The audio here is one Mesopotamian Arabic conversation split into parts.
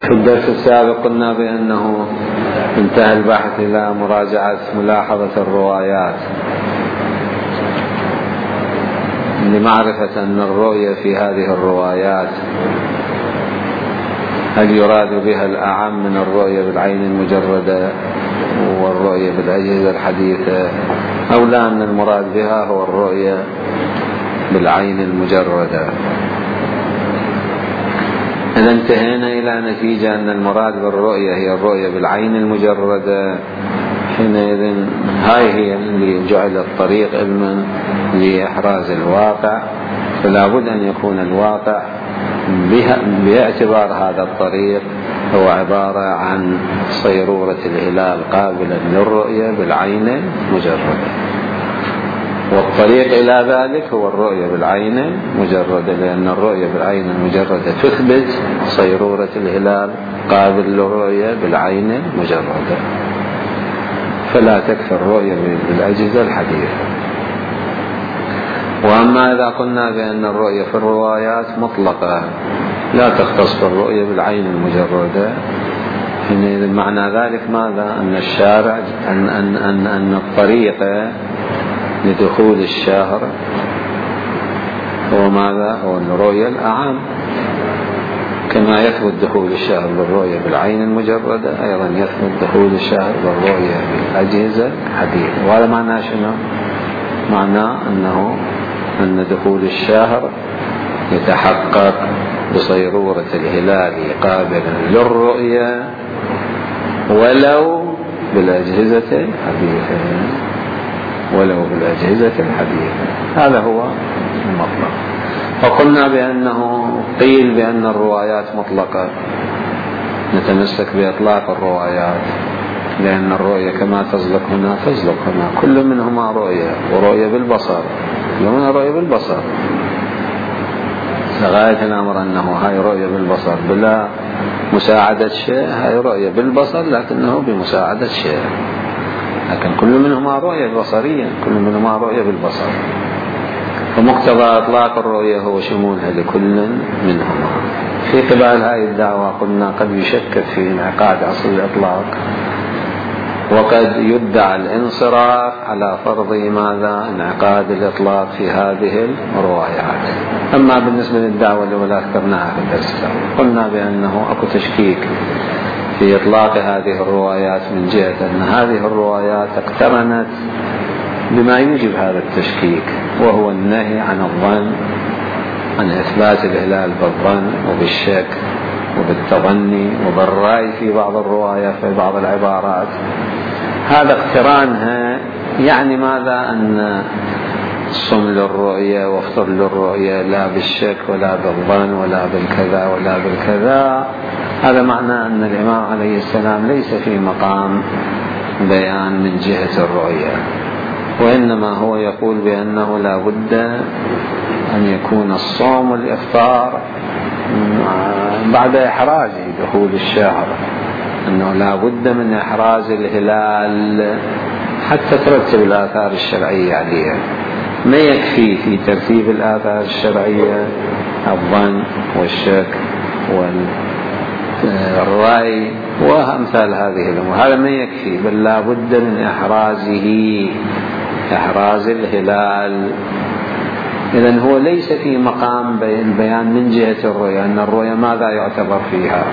في الدرس السابق قلنا بأنه انتهى البحث إلى مراجعة ملاحظة الروايات لمعرفة أن الرؤية في هذه الروايات هل يراد بها الأعم من الرؤية بالعين المجردة والرؤية بالأجهزة الحديثة أو لا، أن المراد بها هو الرؤية بالعين المجردة. إذا انتهينا إلى نتيجة أن المراد بالرؤية هي الرؤية بالعين المجردة، حينئذ هاي هي اللي جعل الطريق علما لإحراز الواقع، فلا بد أن يكون الواقع باعتبار هذا الطريق هو عبارة عن صيرورة الهلال قابلا للرؤية بالعين المجردة، والطريق إلى ذلك هو الرؤية بالعين المجردة، لأن الرؤية بالعين المجردة تثبت صيرورة الهلال قابل للرؤية بالعين المجردة، فلا تكفي الرؤية بالأجهزة الحديثة. وأما إذا قلنا بأن الرؤية في الروايات مطلقة لا تختص بالرؤية بالعين المجردة، حينئذ معنى ذلك ماذا؟ أن الشارع أن الطريقة لدخول الشهر هو ماذا؟ هو الرؤية الأعم، كما يثبت دخول الشهر بالرؤية بالعين المجردة أيضا يثبت دخول الشهر بالرؤية بالأجهزة الحديثة. وهذا معناه شنو؟ معناه أن دخول الشهر يتحقق بصيرورة الهلال قابلا للرؤية ولو بالأجهزة الحديثة، هذا هو المطلق. وقلنا بأنه قيل بأن الروايات مطلقة، نتمسك بإطلاق الروايات، لأن الرؤية كما تزلق هنا تزلق هنا، كل منهما رؤية، ورؤية بالبصر، كل منها رؤية بالبصر، لغاية الأمر أنه هاي رؤية بالبصر بلا مساعدة شيء، هاي رؤية بالبصر لكنه بمساعدة شيء، لكن كل منهما رؤية بصرية، كل منهما رؤية بالبصر، فمقتضى إطلاق الرؤية هو شمولها لكل منهما. في قبال هذه الدعوة قلنا قد يشكك في انعقاد أصل الإطلاق، وقد يدعى الانصراف على فرض ماذا؟ انعقاد الإطلاق في هذه الروايات. أما بالنسبة للدعوة الأولى ذكرناها في الدرس، قلنا بأنه أكو تشكيك في إطلاق هذه الروايات من جهة أن هذه الروايات اقترنت بما يوجب هذا التشكيك، وهو النهي عن الظن، عن إثبات الهلال بالظن وبالشك وبالتظني وبالرأي في بعض الروايات في بعض العبارات. هذا اقترانها يعني ماذا؟ أن صم للرؤية وافطر للرؤية لا بالشك ولا بالظن ولا بالكذا ولا بالكذا. هذا معنى أن الإمام عليه السلام ليس في مقام بيان من جهة الرؤية، وإنما هو يقول بأنه لا بد أن يكون الصوم والإفطار بعد إحراز دخول الشهر، أنه لا بد من إحراز الهلال حتى ترتب الآثار الشرعية عليها. ما يكفي في ترتيب الآثار الشرعية الظن والشك والرأي وأمثال هذه الأمور، هذا ما يكفي، بل لا بد من إحراز الهلال. إذن هو ليس في مقام بيان من جهة الرؤية، أن الرؤية ماذا يعتبر فيها؟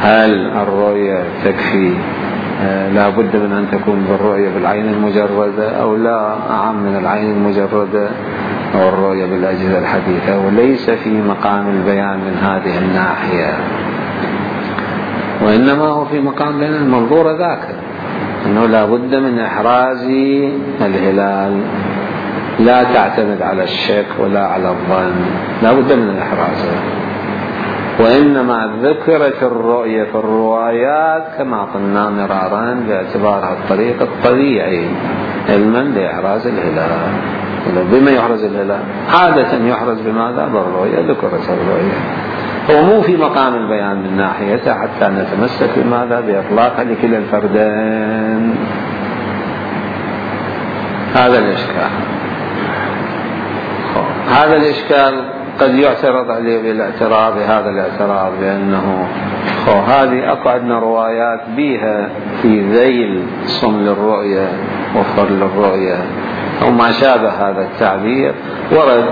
هل الرؤية تكفي لا بد من أن تكون بالرؤية بالعين المجردة أو لا أعم من العين المجردة أو الرؤية بالأجهزة الحديثة؟ وليس في مقام البيان من هذه الناحية، وإنما هو في مقام بين المنظور ذاك، أنه لا بد من إحراز الهلال، لا تعتمد على الشك ولا على الظن، لا بد من إحرازه. وإنما ذكرت الرؤية في الروايات كما قلنا مرارا باعتبارها الطريق الطبيعي علما لإحراز الهلال. بما يحرز الهلال عادة يحرز بماذا؟ بالرؤية، ذكرت الرؤية، هو مو في مقام البيان من ناحيته حتى نتمسك بماذا؟ بإطلاقها لكلا الفردين. هذا الإشكال قد يعترض عليه بالاعتراض هذا الاعتراض بأنه هذه أكو عندنا روايات بيها في ذيل صم للرؤية وفر للرؤية أو ما شابه هذا التعبير ورد،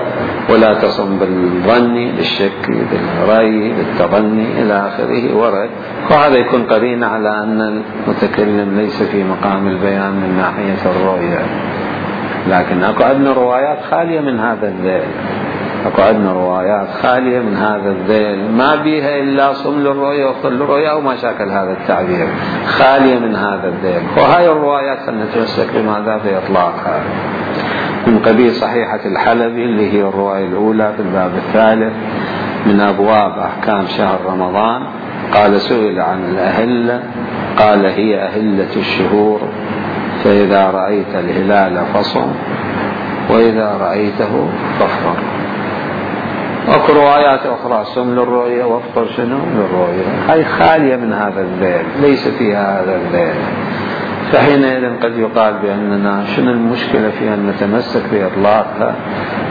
ولا تصم بالظن بالشك بالرأي بالتظني إلى آخره ورد، وهذا يكون قرين على أن المتكلم ليس في مقام البيان من ناحية الرؤية. لكن أكو عندنا روايات خالية من هذا الذيل، أكو عندنا روايات خالية من هذا الذيل ما بيها إلا صم للرؤية وفر للرؤية أو ما شاكل هذا التعبير، خالية من هذا الذيل. وهاي الروايات نتمسك بماذا في إطلاقها من قبيل صحيحة الحلبي اللي هي الرواية الأولى في الباب الثالث من أبواب أحكام شهر رمضان. قال سئل عن الأهلة قال هي أهلة الشهور، فإذا رأيت الهلال فصم وإذا رأيته فافطر. وأكو روايات أخرى صم للرؤية وافطر شنو للرؤية، هاي خالية من هذا الذيل ليس فيها هذا الذيل. فحينئذ قد يقال بأننا شنو المشكلة في أن نتمسك بإطلاقها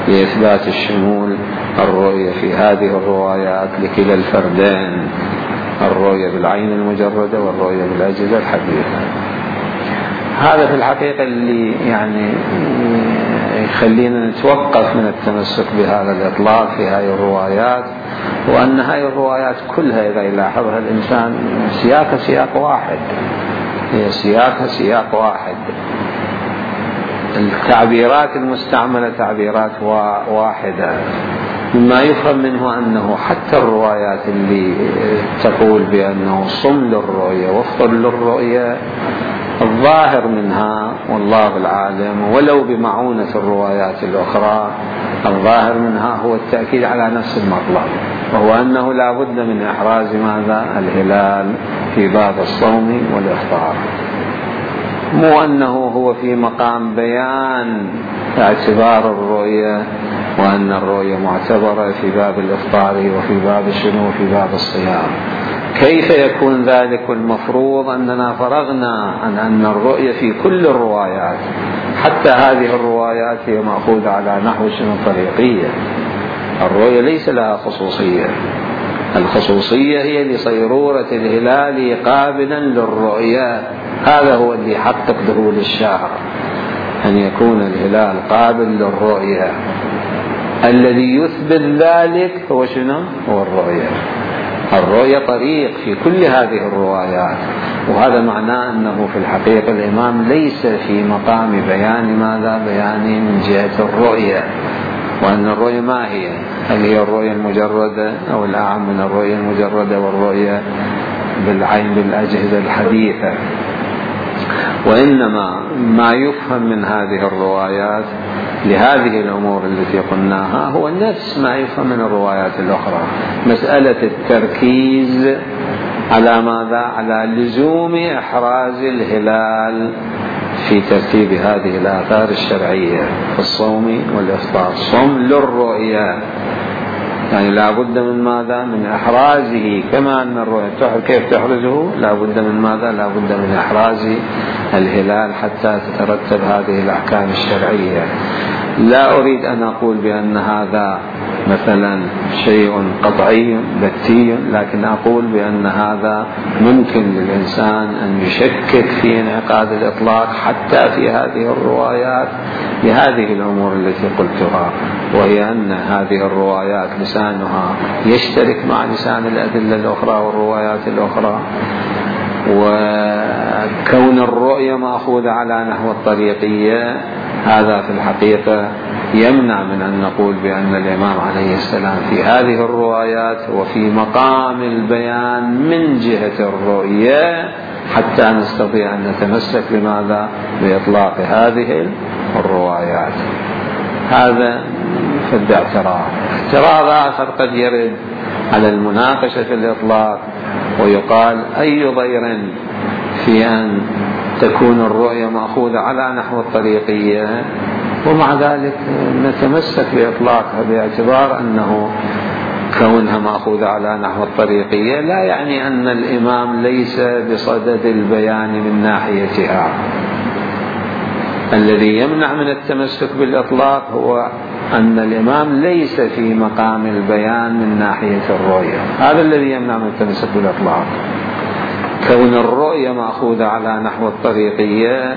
لإثبات الشمول الرؤية في هذه الروايات لكلا الفردين، الرؤية بالعين المجردة والرؤية بالأجهزة الحديثة. هذا في الحقيقة اللي يعني يخلينا نتوقف من التمسك بهذا الإطلاق في هذه الروايات، وأن هذه الروايات كلها إذا يلاحظها الإنسان سياقها سياق واحد، هي سياقها سياق واحد، التعبيرات المستعملة تعبيرات واحدة، مما يفهم منه أنه حتى الروايات اللي تقول بأنه صم للرؤية وافطر للرؤية الظاهر منها والله العالم ولو بمعونة الروايات الأخرى الظاهر منها هو التأكيد على نفس المطلب، وهو أنه لا بد من إحراز ماذا الهلال في باب الصوم والإفطار، مو أنه هو في مقام بيان اعتبار الرؤية وأن الرؤية معتبرة في باب الإفطار وفي باب الشنو في باب الصيام. كيف يكون ذلك؟ المفروض أننا فرغنا عن أن الرؤية في كل الروايات، حتى هذه الروايات هي مأخوذة على نحو شنو طريقية، الرؤية ليس لها خصوصية، الخصوصية هي لصيرورة الهلال قابلا للرؤية، هذا هو اللي يحقق دخول الشهر، أن يكون الهلال قابل للرؤية، الذي يثبت ذلك هو شنو؟ هو الرؤية. الرؤية طريق في كل هذه الروايات، وهذا معناه أنه في الحقيقة الإمام ليس في مقام بيان ماذا؟ بيان من جهة الرؤية، وأن الرؤية ما هي؟ هل هي الرؤية المجردة أو الأعم من الرؤية المجردة والرؤية بالعين بالأجهزة الحديثة؟ وإنما ما يفهم من هذه الروايات لهذه الأمور التي قلناها هو نفس ما يفهم من الروايات الأخرى، مسألة التركيز على ماذا؟ على لزوم إحراز الهلال في ترتيب هذه الآثار الشرعية في الصوم والإفطار. صم للرؤية يعني لا بد من ماذا؟ من إحرازه، كما أن الرؤية كيف تحرزه؟ لا بد من ماذا؟ لا بد من إحراز الهلال حتى تترتب هذه الأحكام الشرعية. لا أريد أن أقول بأن هذا مثلا شيء قطعي بتي، لكن أقول بأن هذا ممكن للإنسان أن يشكك في انعقاد الإطلاق حتى في هذه الروايات لهذه الأمور التي قلتها، وهي أن هذه الروايات لسانها يشترك مع لسان الأدلة الأخرى والروايات الأخرى، وكون الرؤية مأخوذة على نحو الطريقية هذا في الحقيقة يمنع من أن نقول بأن الإمام عليه السلام في هذه الروايات وفي مقام البيان من جهة الرؤية حتى نستطيع أن نتمسك بماذا؟ بإطلاق هذه الروايات. هذا في الاعتراض. اعتراض آخر قد يرد على المناقشة في الإطلاق ويقال أي ضير في أن تكون الرؤية مأخوذة على نحو الطريقية ومع ذلك نتمسك بإطلاقها، باعتبار أنه كونها مأخوذة على نحو الطريقية لا يعني أن الإمام ليس بصدد البيان من ناحيتها، الذي يمنع من التمسك بالإطلاق هو أن الإمام ليس في مقام البيان من ناحية الرؤية، هذا الذي يمنع من التمسك بالإطلاق. كون الرؤية مأخوذة على نحو الطريقية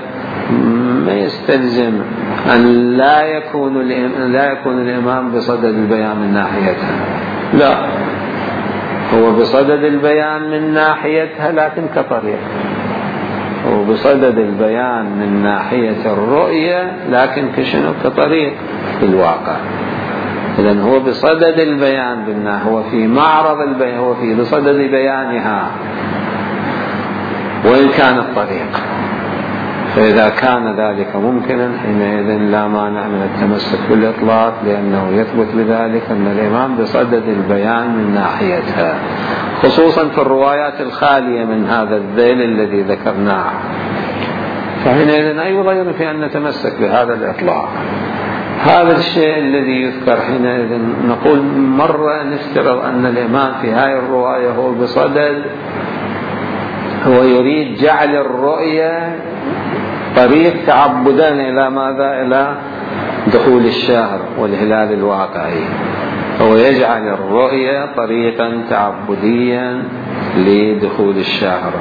ما يستلزم أن لا يكون الإمام بصدد البيان من ناحيتها، لا، هو بصدد البيان من ناحيتها لكن كطريق، هو بصدد البيان من ناحية الرؤية لكن كشنو؟ كطريق في الواقع. إذن هو بصدد البيان هو في معرض البيان، هو في بصدد بيانها وإن كان الطريق. فإذا كان ذلك ممكنا حينئذ لا مانع من التمسك بالإطلاق، لأنه يثبت بذلك أن الإمام بصدد البيان من ناحيتها، خصوصا في الروايات الخالية من هذا الذيل الذي ذكرناه. فحينئذ أي ضير في أن نتمسك بهذا الإطلاق. هذا الشيء الذي يذكر حينئذ نقول مرة نفترض أن الإمام في هذه الرواية هو بصدد، هو يريد جعل الرؤية طريق تعبدا إلى ماذا؟ إلى دخول الشهر والهلال الواقعي، هو يجعل الرؤية طريقا تعبديا لدخول الشهر.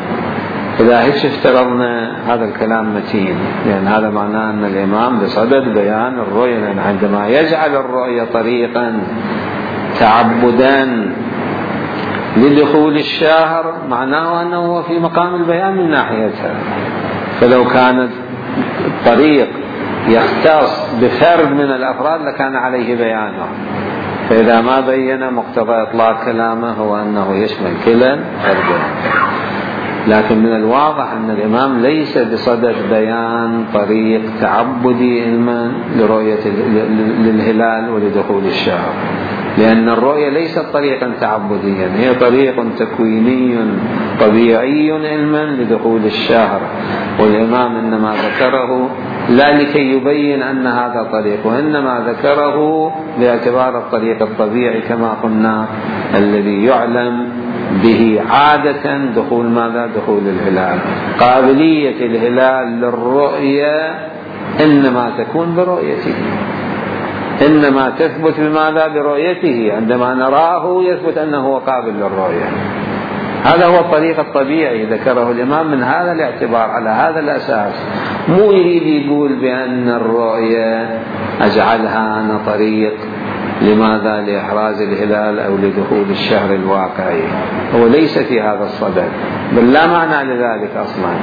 إذا هيك افترضنا هذا الكلام متين، لأن هذا معناه أن الإمام بصدد بيان الرؤية، لأن عندما يجعل الرؤية طريقا تعبدا لدخول الشهر معناه أنه في مقام البيان من ناحيتها. فلو كان الطريق يختص بفرد من الأفراد لكان عليه بيانه، فإذا ما بين مقتضى إطلاق كلامه هو أنه يشمل كلا فردين. لكن من الواضح أن الإمام ليس بصدد بيان طريق تعبدي علما لرؤية للهلال ولدخول الشهر، لأن الرؤية ليست طريقا تعبديا، هي طريق تكويني طبيعي علما لدخول الشهر. والإمام إنما ذكره لا لكي يبين أن هذا طريق، وإنما ذكره باعتبار الطريق الطبيعي كما قلنا الذي يعلم به عادة دخول ماذا؟ دخول الهلال. قابلية الهلال للرؤية إنما تكون برؤيته، إنما تثبت بماذا؟ برؤيته. عندما نراه يثبت أنه قابل للرؤية. هذا هو الطريق الطبيعي ذكره الإمام من هذا الاعتبار، على هذا الأساس. مو يريد يقول بأن الرؤية أجعلها أنا طريق لماذا؟ لإحراز الهلال أو لدخول الشهر الواقعي، هو ليس في هذا الصدد، بل لا معنى لذلك أصلا.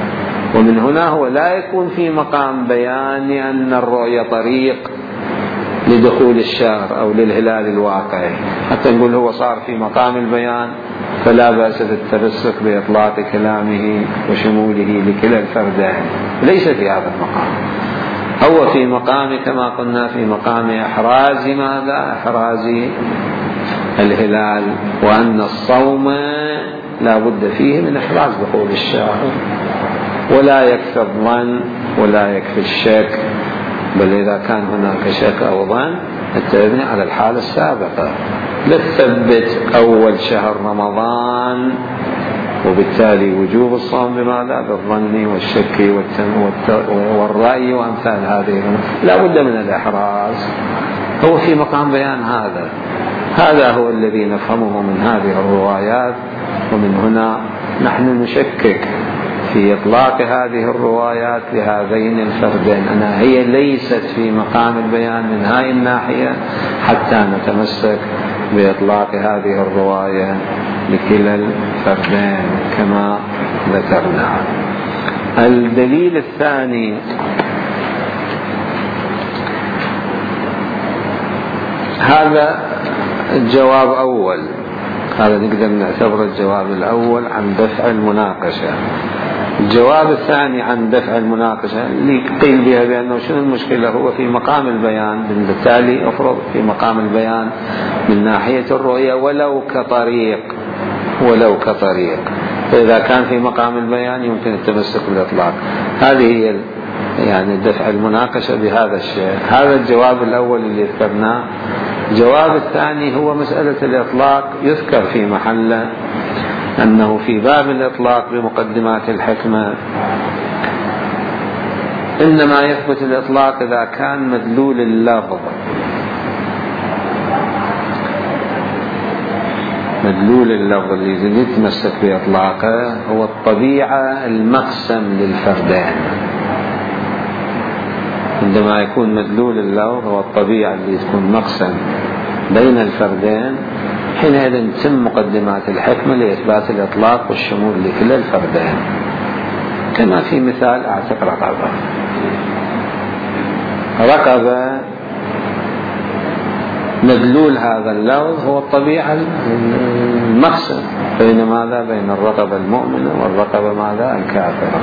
ومن هنا هو لا يكون في مقام بيان أن الرؤية طريق لدخول الشهر أو للهلال الواقعي، حتى نقول هو صار في مقام البيان فلا بأس بالتمسك بإطلاق كلامه وشموله لكلا الفردين، ليس في هذا المقام. هو في مقام كما قلنا في مقام إحراز ماذا؟ إحراز الهلال، وأن الصوم لا بد فيه من إحراز دخول الشهر، ولا يكفي الظن ولا يكفي الشك، بل إذا كان هناك شك أو ظن نتبني على الحالة السابقة، لا تثبت أول شهر رمضان وبالتالي وجوب الصوم بماذا؟ بالظن والشك والرأي وأمثال هذه، لا بد من الإحراز. هو في مقام بيان هذا هو الذي نفهمه من هذه الروايات. ومن هنا نحن نشكك في إطلاق هذه الروايات لهذين الفردين، أنها هي ليست في مقام البيان من هذه الناحية حتى نتمسك بإطلاق هذه الرواية لكلا الفردين كما ذكرنا. الدليل الثاني هذا الجواب أول، هذا نقدر نعتبر الجواب الأول عن دفع المناقشة. الجواب الثاني عن دفع المناقشة اللي قيل بها بأنه شنو المشكلة؟ هو في مقام البيان، بالتالي أفرض في مقام البيان من ناحية الرؤية ولو كطريق، فإذا كان في مقام البيان يمكن التمسك بالإطلاق. هذه هي يعني دفع المناقشة بهذا الشيء. هذا الجواب الأول اللي ذكرناه. الجواب الثاني هو مسألة الإطلاق، يذكر في محله أنه في باب الإطلاق بمقدمات الحكمة إنما يثبت الإطلاق إذا كان مدلول اللفظ، مدلول اللفظ اللي يتمسك بإطلاقه هو الطبيعة المقسم للفردين. عندما يكون مدلول اللفظ هو الطبيعة اللي تكون مقسم بين الفردين، حينئذ تتم مقدمات الحكمة لإثبات الإطلاق والشمول لكلا الفردين. كما في مثال أعتق رقبة، رقبة مدلول هذا اللفظ هو الطبيعة المقسم بين ماذا؟ بين الرقبة المؤمنة والرقبة ماذا؟ الكافرة.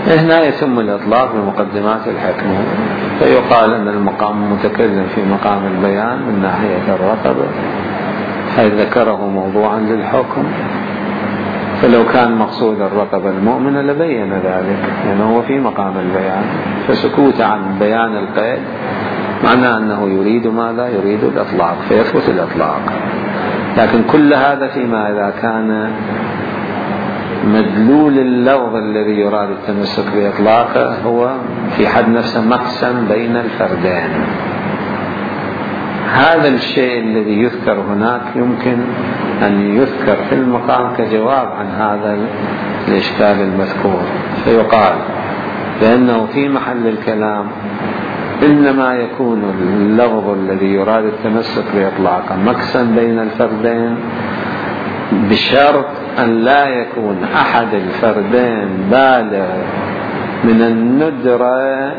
هنا يتم الإطلاق بمقدمات الحكمة، فيقال أن المقام متكلم في مقام البيان من ناحية الرقبة حيث ذكره موضوعا للحكم، فلو كان مقصود الرقبة المؤمنة لبين ذلك لأنه هو في مقام البيان، فسكوت عن بيان القيد معناه أنه يريد ماذا؟ يريد الإطلاق، فيثبت الإطلاق. لكن كل هذا فيما إذا كان مدلول اللفظ الذي يراد التمسك بإطلاقه هو في حد نفسه مقسم بين الفردين. هذا الشيء الذي يذكر هناك يمكن أن يذكر في المقام كجواب عن هذا الإشكال المذكور، فيقال بأنه في محل الكلام إنما يكون اللفظ الذي يراد التمسك بإطلاقه مقسم بين الفردين بشرط أن لا يكون أحد الفردين بالغ من الندرة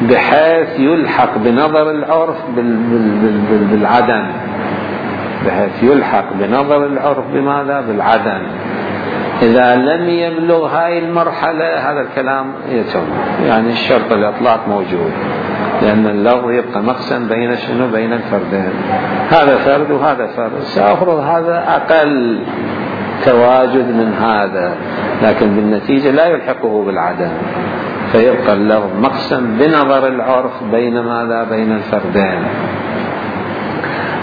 بحيث يلحق بنظر العرف بالعدم، بحيث يلحق بنظر العرف بماذا؟ بالعدم. إذا لم يبلغ هاي المرحلة هذا الكلام يتم، يعني الشرط الإطلاق موجود، لأن اللفظ يبقى مقسم بين شنو؟ بين الفردين، هذا فرد وهذا فرد، سأفرض هذا أقل تواجد من هذا، لكن بالنتيجة لا يلحقه بالعدم، فيبقى اللفظ مقسم بنظر العرف بين ماذا؟ بين الفردين.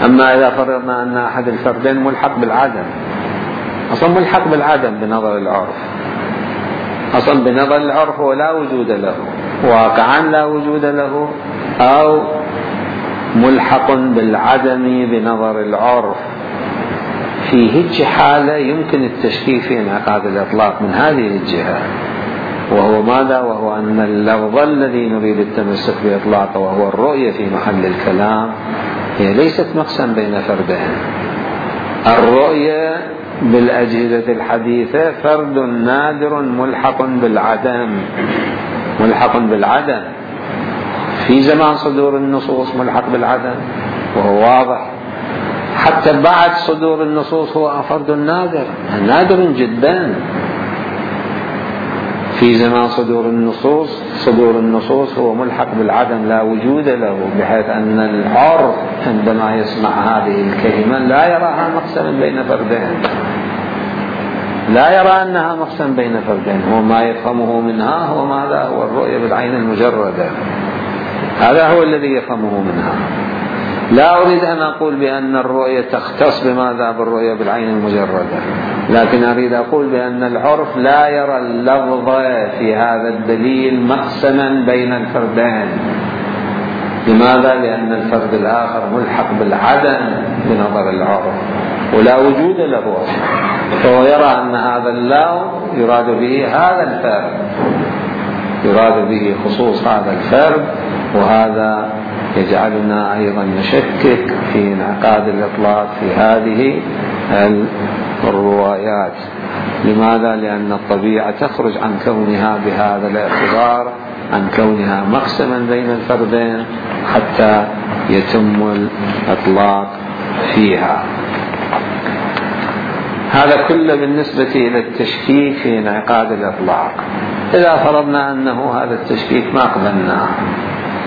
أما إذا فرضنا أن أحد الفردين ملحق بالعدم، أصلا ملحق بالعدم بنظر العرف، أصلا بنظر العرف هو لا وجود له، واقعا لا وجود له، أو ملحق بالعدم بنظر العرف، في هيج حالة يمكن التشكيك في انعقاد الإطلاق من هذه الجهة، وهو ماذا؟ وهو أن اللفظ الذي نريد التمسك بإطلاقه وهو الرؤية في محل الكلام هي ليست مقسم بين فردين. الرؤية بالأجهزة الحديثة فرد نادر ملحق بالعدم، ملحق بالعدم في زمان صدور النصوص، ملحق بالعدم وهو واضح، حتى بعد صدور النصوص هو فرد نادر، نادر جدا في زمان صدور النصوص هو ملحق بالعدم لا وجود له، بحيث أن العرف عندما يسمع هذه الكلمة لا يراها مقسما بين فردين، لا يرى أنها مقسم بين فردين، هو ما يفهمه منها هو ماذا؟ هو الرؤية بالعين المجردة، هذا هو الذي يفهمه منها. لا أريد أن أقول بأن الرؤية تختص بماذا؟ بالرؤية بالعين المجردة، لكن أريد أقول بأن العرف لا يرى اللفظ في هذا الدليل مقسما بين الفردين. لماذا؟ لأن الفرد الآخر ملحق بالعدم بنظر العرف ولا وجود له، فهو يرى أن هذا اللفظ يراد به هذا الفرد، يراد به خصوص هذا الفرد، وهذا يجعلنا أيضا نشكك في انعقاد الإطلاق في هذه الروايات. لماذا؟ لأن الطبيعة تخرج عن كونها بهذا الاعتبار عن كونها مقسما بين الفردين حتى يتم الإطلاق فيها. هذا كله بالنسبة إلى التشكيك في انعقاد الإطلاق. إذا فرضنا أنه هذا التشكيك ما قبلناه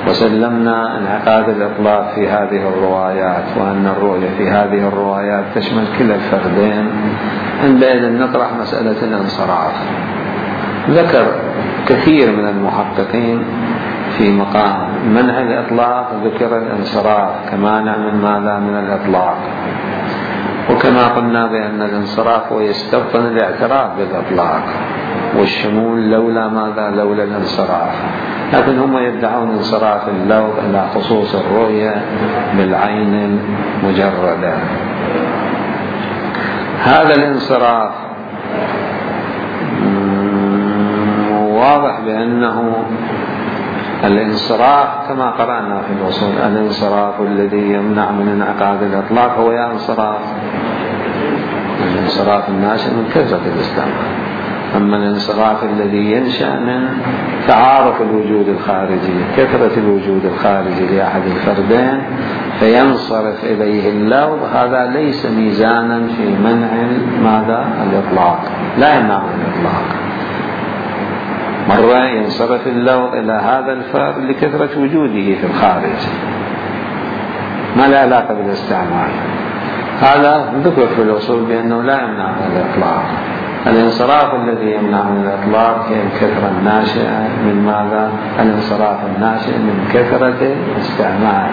وسلمنا انعقاد الإطلاق في هذه الروايات، وأن الرؤية في هذه الروايات تشمل كلا الفردين، عندئذ نطرح مسألة الانصراف. ذكر كثير من المحققين في مقام منع الإطلاق ذكر الانصراف كمانع من ماذا؟ من الإطلاق. وكما قلنا بأن الانصراف هو يستبطن الاعتراف بالإطلاق، والشمول لولا ماذا؟ لولا الانصراف. لكن هم يدعون انصراف اللفظ إلى خصوص الرؤية بالعين المجردة. هذا الانصراف واضح بأنه الانصراف كما قرأنا في الأصول، الانصراف الذي يمنع من انعقاد الإطلاق هو يا انصراف الانصراف الناشئ من كثرة الاستعمال. أما الانصراف الذي ينشأ من تعارف الوجود الخارجي، كثرة الوجود الخارجي لأحد الفردين فينصرف إليه اللفظ، هذا ليس ميزانا في منع ماذا؟ الإطلاق، لا يمنع الإطلاق. مرة ينصرف اللفظ إلى هذا الفرد لكثرة وجوده في الخارج، ما لا علاقة بالاستعمال. هذا ذكر في الأصول بأنه لا يمنع من الإطلاق. الانصراف الذي يمنع من الإطلاق هي الكثرة الناشئة من ماذا؟ الانصراف الناشئ من كثرة الاستعمال،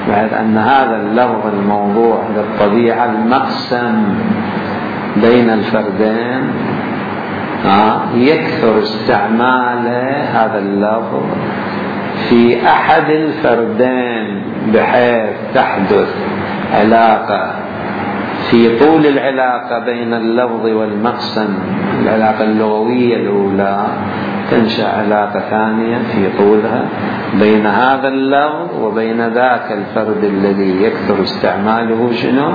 بعد أن هذا اللفظ الموضوع للطبيعة المقسم بين الفردين يكثر استعمال هذا اللفظ في أحد الفردين بحيث تحدث علاقة في طول العلاقة بين اللفظ والمقسم، العلاقة اللغوية الأولى، تنشأ علاقة ثانية في طولها بين هذا اللفظ وبين ذاك الفرد الذي يكثر استعماله شنو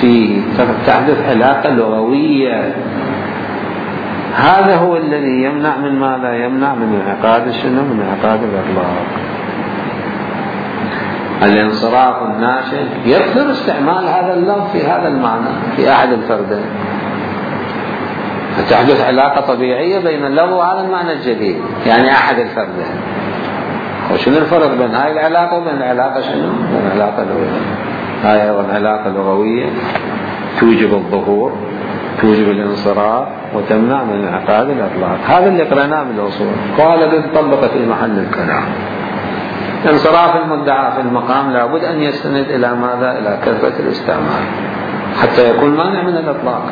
فيه، تحدث علاقة لغوية. هذا هو الذي يمنع من ماذا؟ يمنع من انعقاد شنو؟ من انعقاد الإطلاق. الانصراف الناشئ يكثر استعمال هذا اللفظ في هذا المعنى في أحد الفردين، فتحدث علاقة طبيعية بين اللفظ وهذا المعنى الجديد، يعني أحد الفردين. وشنو الفرق بين هاي العلاقة وبين العلاقة شنو؟ بين العلاقة اللغوية. هاي أيضا علاقة لغوية توجب الظهور، توجب الانصراف، وتمنع من انعقاد الإطلاق. هذا اللي قرأناه بالأصول، قال طبق في محل الكلام. انصراف المدعى في المقام لابد أن يستند إلى ماذا؟ إلى كثرة الاستعمال حتى يكون مانع من الإطلاق.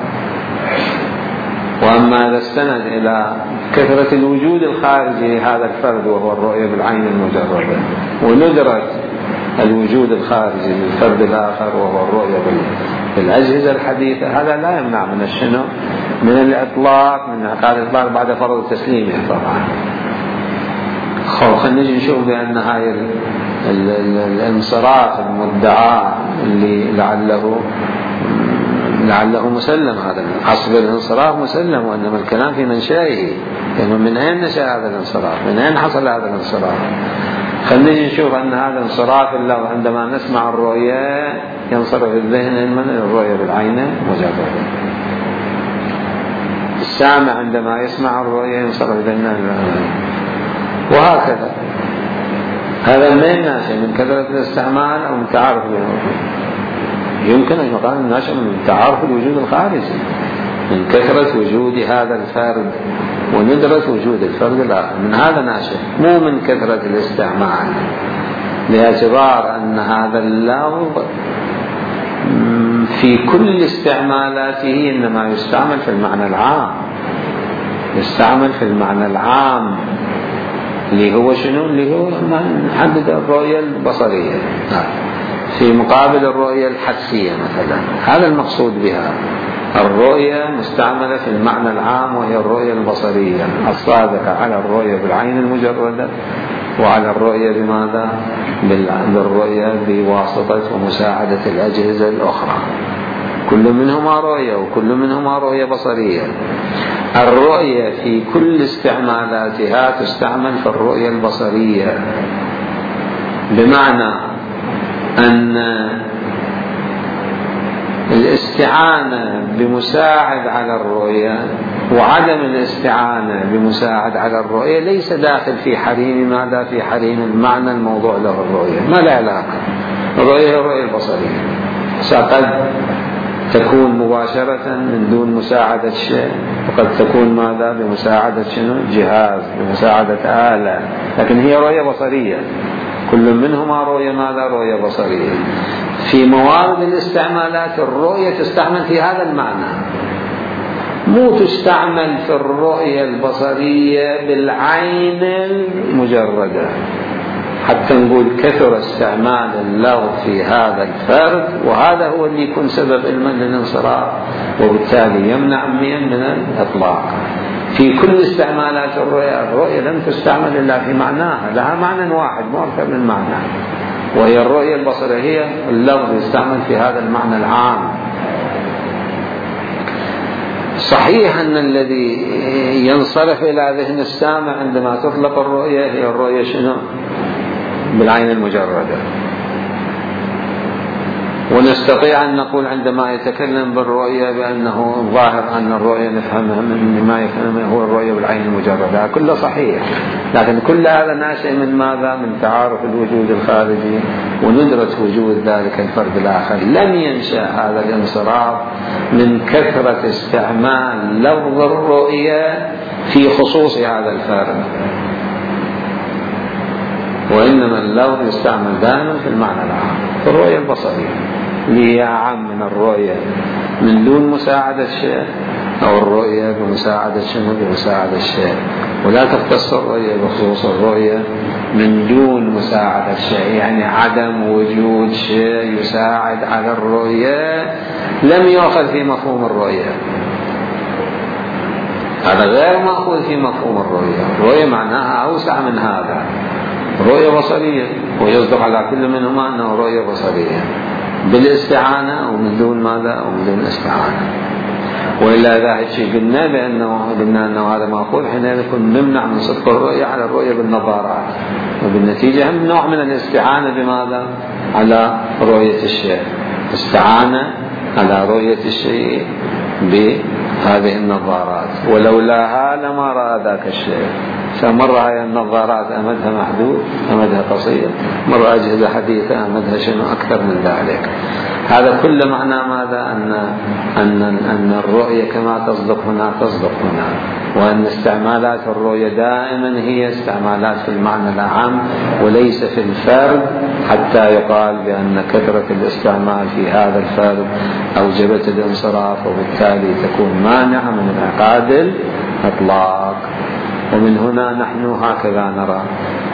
وأما إذا استند إلى كثرة الوجود الخارجي لهذا الفرد وهو الرؤية بالعين المجردة، وندرة الوجود الخارجي للفرد الآخر وهو الرؤية بالأجهزة الحديثة، هذا لا يمنع من الشنو؟ من الإطلاق، من انعقاد الإطلاق بعد فرض تسليمه طبعا. خلينا نجي نشوف بأن هاي الانصراف المدعى اللي لعله مسلم، هذا أصل الانصراف مسلم، وإنما الكلام في منشأه، يعني من أين نشأ هذا الانصراف؟ من أين حصل هذا الانصراف؟ خلينا نجي نشوف أن هذا انصراف اللفظ عندما نسمع الرؤية ينصرف الذهن من الرؤية بالعين مجردة. السامع عندما يسمع الرؤية ينصرف الذهن، وهكذا. هذا من ناشئ من كثرة الاستعمال أو من تعارف بينه؟ يمكن أن يقال الناشئ من تعارف الوجود الخارجي، من كثرة وجود هذا الفرد وندرة وجود الفرد الآخر، من هذا ناشئ، مو من كثرة الاستعمال، باعتبار أن هذا اللفظ في كل استعمالاته إنما يستعمل في المعنى العام، يستعمل في المعنى العام اللي هو شنو؟ اللي هو نحدد الرؤية البصرية في مقابل الرؤية الحسية مثلا. هذا المقصود بها، الرؤية مستعملة في المعنى العام وهي الرؤية البصرية الصادقة على الرؤية بالعين المجردة وعلى الرؤية بماذا؟ بالرؤية بواسطة ومساعدة الأجهزة الأخرى، كل منهما رؤية وكل منهما رؤية بصرية. الرؤية في كل استعمالاتها تستعمل في الرؤية البصرية، بمعنى أن الاستعانة بمساعد على الرؤية وعدم الاستعانة بمساعد على الرؤية ليس داخل في حريم ماذا؟ في حريم المعنى الموضوع له الرؤية، ما لا علاقة. الرؤية هي الرؤية البصرية، قد تكون مباشرة من دون مساعدة شيء، وقد تكون ماذا؟ بمساعدة شنو؟ جهاز، بمساعدة آلة، لكن هي رؤية بصرية، كل منهما رؤية ماذا؟ رؤية بصرية. في موارد الاستعمالات الرؤية تستعمل في هذا المعنى، مو تستعمل في الرؤية البصرية بالعين المجردة، حتى نقول كثر استعمال اللفظ في هذا الفرد، وهذا هو اللي يكون سبب المن للانصراف، وبالتالي يمنع من الإطلاق. في كل استعمالات الرؤية لم تستعمل إلا في معناها، لها معنى واحد مو أكثر من معنى، وهي الرؤية البصرية، هي اللفظ يستعمل في هذا المعنى العام. صحيح أن الذي ينصرف إلى ذهن السامع عندما تطلق الرؤية هي الرؤية شنو؟ بالعين المجردة. ونستطيع أن نقول عندما يتكلم بالرؤية بأنه ظاهر أن الرؤية نفهمها من ما يفهمه هو الرؤية بالعين المجردة، كله صحيح، لكن كل هذا ناشئ من ماذا؟ من تعارف الوجود الخارجي وندرة وجود ذلك الفرد الآخر. لم ينشأ هذا الانصراف من كثرة استعمال لفظ الرؤية في خصوص هذا الفرد، وإنما اللفظ يستعمل دائما في المعنى العام في الرؤية البصرية، اللي هي أعم من الرؤية من دون مساعدة شيء، أو الرؤية بمساعدة شنو؟ بمساعدة شيء. ولا تختص الرؤية بخصوص الرؤية من دون مساعدة شيء، يعني عدم وجود شيء يساعد على الرؤية لم يؤخذ في مفهوم الرؤية، هذا غير مأخوذ في مفهوم الرؤية. الرؤية معناها أوسع من هذا، رؤية بصرية، ويصدق على كل منهما أنه رؤية بصرية بالاستعانة أو من دون ماذا؟ أو من دون استعانة. وإلا إذا هالشيء قلنا أنه هذا مأخوذ، حينئذ يكون نمنع من صدق الرؤية على الرؤية بالنظارات، وبالنتيجة هم نوع من الاستعانة بماذا؟ على رؤية الشيء، استعانة على رؤية الشيء بهذه النظارات، ولولاها لما رأى ذاك الشيء. مرة هاي النظارات أمدها محدود، أمدها قصير، مرة أجهزة حديثة أمدها شنو أكثر من ذلك. هذا كل معنى ماذا؟ أن الرؤية كما تصدق هنا تصدق هنا، وأن استعمالات الرؤية دائما هي استعمالات في المعنى العام وليس في الفرد، حتى يقال بأن كثرة الاستعمال في هذا الفرد أوجبت الانصراف، وبالتالي تكون مانعة من انعقاد الإطلاق. ومن هنا نحن هكذا نرى،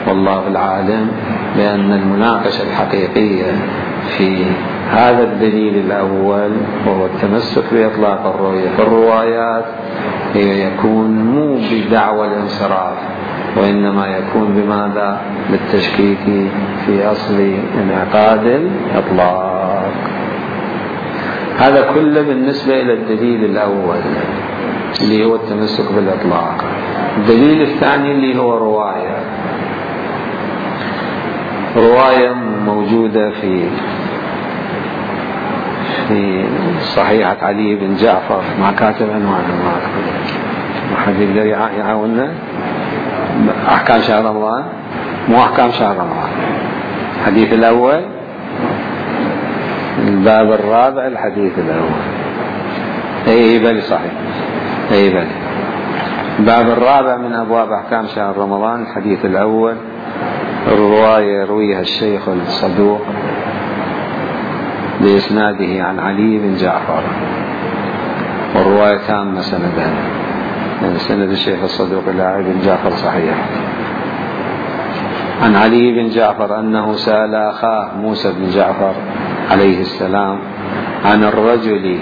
والله العالم، بأن المناقشة الحقيقية في هذا الدليل الأول وهو التمسك بإطلاق الرؤية في الروايات يكون مو بدعوى الانصراف، وإنما يكون بماذا؟ بالتشكيك في أصل انعقاد الإطلاق. هذا كله بالنسبة إلى الدليل الأول اللي هو التمسك بالإطلاق. الدليل الثاني اللي هو رواية موجودة في صحيحة علي بن جعفر، ما كاتب عنوان، ما حد يقدر يعاوننا. أحكام شهر رمضان، مو أحكام شهر رمضان، الحديث الأول، الباب الرابع، الحديث الأول. أي بل صحيح، أي بل الباب الرابع من أبواب أحكام شهر رمضان، الحديث الأول. الرواية يرويها الشيخ الصدوق بإسناده عن علي بن جعفر، والرواية تامة سندها، يعني سند الشيخ الصدوق إلى علي بن جعفر صحيح. عن علي بن جعفر أنه سأل أخاه موسى بن جعفر عليه السلام عن الرجل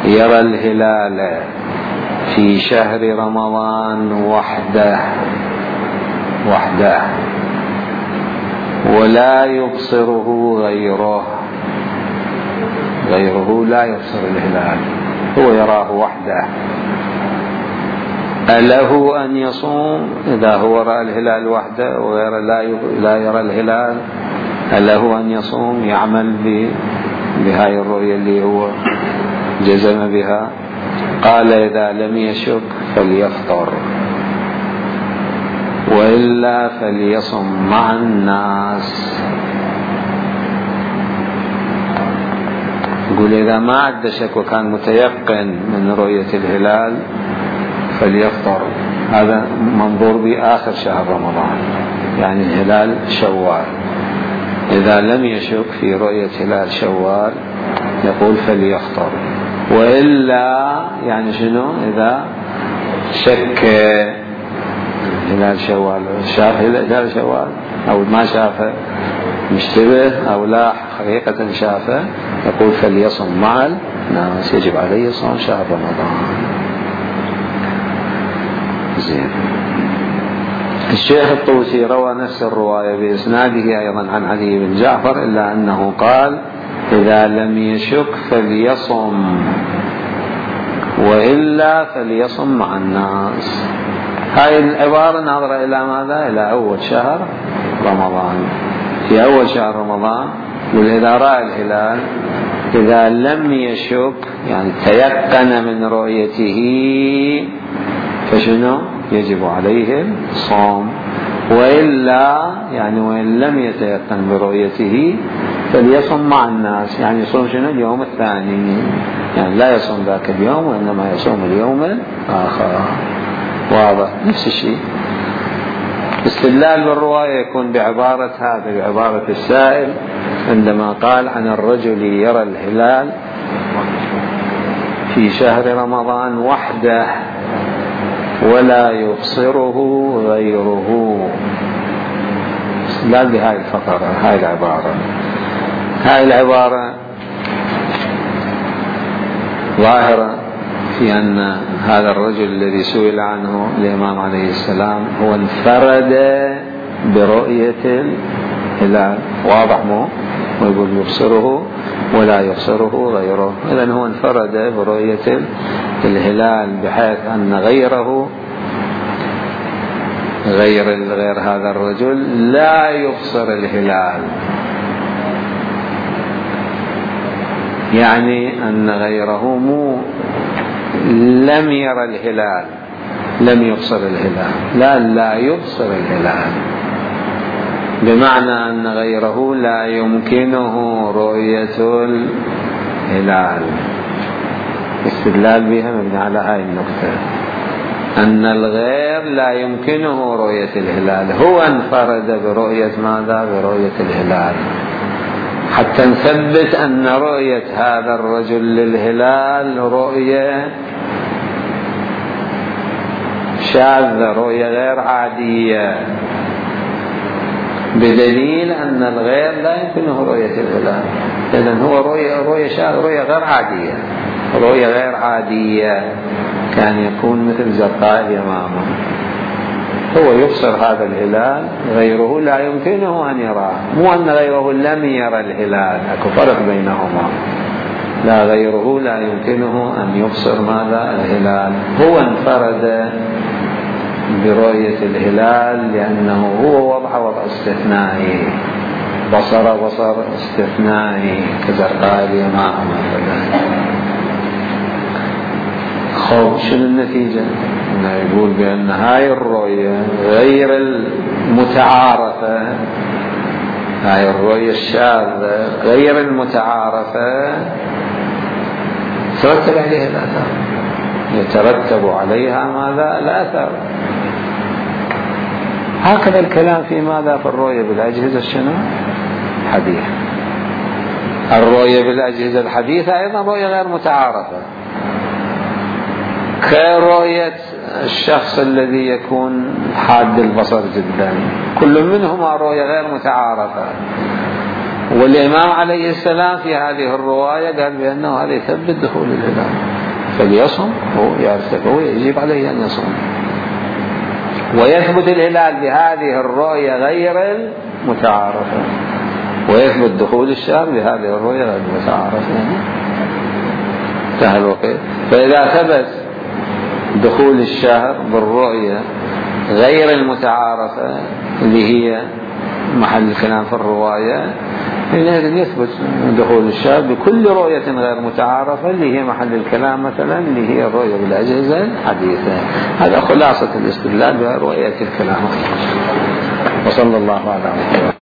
يرى الهلال في شهر رمضان وحده ولا يبصره غيره لا يبصر الهلال، هو يراه وحده، أله أن يصوم إذا هو رأى الهلال وحده وغير لا يرى الهلال؟ أله أن يصوم يعمل بهاي الرؤية اللي هو جزم بها؟ قال إذا لم يشك فليفطر، وإلا فليصم مع الناس. يقول إذا ما عد شك وكان متيقن من رؤية الهلال فليفطر. هذا منظور بآخر شهر رمضان، يعني الهلال شوال. إذا لم يشك في رؤية هلال شوال يقول فليفطر، وإلا يعني شنو؟ إذا شك هلال شوال، شاف هلال شوال أو ما شافه مشتبه أو لا حقيقة شافه، يقول فليصم مع الناس، يجب عليه صوم شهر رمضان. زين. الشيخ الطوسي روى نفس الرواية بإسناده أيضا عن علي بن جعفر، إلا أنه قال إذا لم يشك فليصم وإلا فليصم مع الناس. هاي العبارة ناظرة إلى ماذا؟ إلى أول شهر رمضان. في أول شهر رمضان إذا رأى الهلال إذا لم يشك يعني تيقن من رؤيته فشنو؟ يجب عليه الصوم، وإلا يعني وإن لم يتيقن برؤيته فليصم مع الناس، يعني يصوم شنو؟ اليوم الثاني، يعني لا يصوم ذاك اليوم وإنما يصوم اليوم الآخر. واضح؟ نفس الشيء. استدلال بالرواية يكون بعبارة هذا، بعبارة السائل عندما قال عن الرجل يرى الهلال في شهر رمضان وحده ولا يبصره غيره. استدلال بهاي الفقرة، هاي العبارة. هاي العبارة ظاهرة في أن هذا الرجل الذي سئل عنه الإمام عليه السلام هو انفرد برؤية الهلال. واضح مو؟ ويقول يبصره ولا يبصره غيره، إذن هو انفرد برؤية الهلال بحيث أن غيره غير هذا الرجل لا يبصر الهلال، يعني أن غيره مو لم يرى الهلال لم يبصر الهلال، لا يبصر الهلال، بمعنى أن غيره لا يمكنه رؤية الهلال. استدلال بها مبني على هاي النقطة، أن الغير لا يمكنه رؤية الهلال، هو انفرد برؤية ماذا؟ برؤية الهلال، حتى نثبت أن رؤية هذا الرجل للهلال رؤية شاذة، رؤية غير عادية، بدليل أن الغير لا يمكنه رؤية الهلال. إذن هو رؤية شاذة، رؤية غير عادية، رؤية غير عادية، كان يكون مثل زرقاء اليمامة. هو يبصر هذا الهلال، غيره لا يمكنه أن يراه، مو أن غيره لم يرى الهلال، أكو فرق بينهما. لا، غيره لا يمكنه أن يبصر ماذا؟ الهلال. هو انفرد برؤية الهلال لأنه هو وضع استثنائي، بصر استثنائي كزرقاء اليمامة مثلا. خب شنو النتيجة؟ يقول بأن هاي الرؤية غير المتعارفة، هاي الرؤية الشاذة غير المتعارفة ترتب عليها الآثار، يترتب عليها ماذا؟ الآثار. هكذا الكلام في ماذا؟ في الرؤية بالأجهزة شنو؟ حديثة. الرؤية بالأجهزة الحديثة أيضا رؤية غير متعارفة، كرؤية الشخص الذي يكون حاد البصر جدا، كل منهما رؤية غير متعارفة. والإمام عليه السلام في هذه الرواية قال بأنه هذا يثبت دخول الهلال، فليصم، هو يعرف، هو يجب عليه أن يصوم، ويثبت الهلال بهذه الرؤية غير المتعارفة، ويثبت دخول الشهر بهذه الرؤية غير المتعارفة. انتهى الوقت. فإذا ثبت دخول الشهر بالرؤية غير المتعارفة اللي هي محل الكلام في الرواية، حينئذ يثبت دخول الشهر بكل رؤية غير متعارفة اللي هي محل الكلام مثلا اللي هي الرؤية بالأجهزة الحديثة. هذا خلاصة الاستدلال برؤية الكلام. وصلى الله على محمد.